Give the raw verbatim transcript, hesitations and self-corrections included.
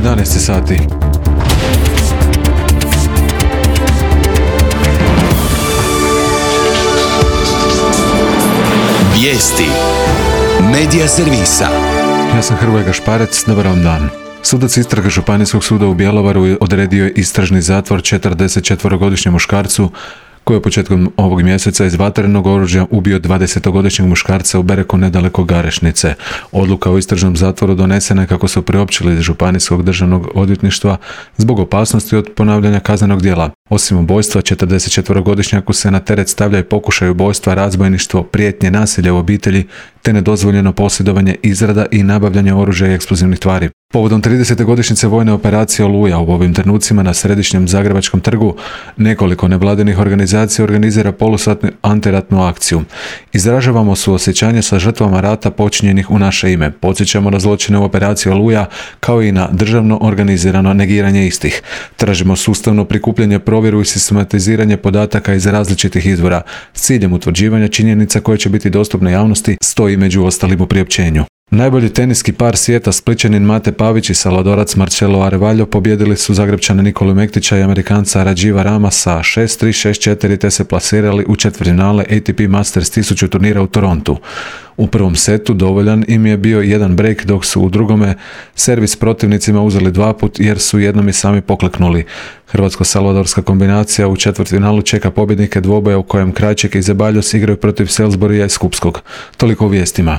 jedanaest sati. Vijesti Medija servisa. Ja sam Hrvoje Gašparec, dobar vam dan. Sudac istrage Županijskog suda u Bjelovaru odredio je istražni zatvor četrdesetčetverogodišnjem muškarcu koji je početkom ovog mjeseca iz vatrenog oružja ubio dvadesetogodišnjeg muškarca u Bereku nedaleko Garešnice. Odluka o istražnom zatvoru donesena je, kako su priopćili iz Županijskog državnog odvjetništva, zbog opasnosti od ponavljanja kaznenog djela. Osim ubojstva, četrdesetčetverogodišnjaku se na teret stavlja i pokušaj ubojstva, razbojništvo, prijetnje, nasilja u obitelji te nedozvoljeno posjedovanje, izrada i nabavljanje oružja i eksplozivnih tvari. Povodom tridesete godišnjice vojne operacije Oluja u ovim trenucima na središnjem Zagrebačkom trgu nekoliko nevladinih organizacija organizira polusatnu antiratnu akciju. Izražavamo suosjećanje sa žrtvama rata počinjenih u naše ime. Podsjećamo na zločine u operaciji Oluja kao i na državno organizirano negiranje istih. Tražimo sustavno prikupljanje, provjeru i sistematiziranje podataka iz različitih izvora s ciljem utvrđivanja činjenica koje će biti dostupne javnosti, stoji među ostalim u priopćenju. Najbolji teniski par svijeta, Splićanin Mate Pavić i Salvadorac Marcelo Arevalo pobijedili su Zagrepčane Nikolu Mektića i Amerikanca Radživa Rama sa šest tri šest četiri te se plasirali u četvrtfinale A T P Masters tisuću turnira u Torontu. U prvom setu dovoljan im je bio jedan break, dok su u drugome servis protivnicima uzeli dva put jer su jednom i sami pokleknuli. Hrvatsko-salvadorska kombinacija u četvrtfinalu čeka pobjednike dvoboja u kojem Krajček i Zeballos igraju protiv Salisburya i Skupskog. Toliko u vijestima.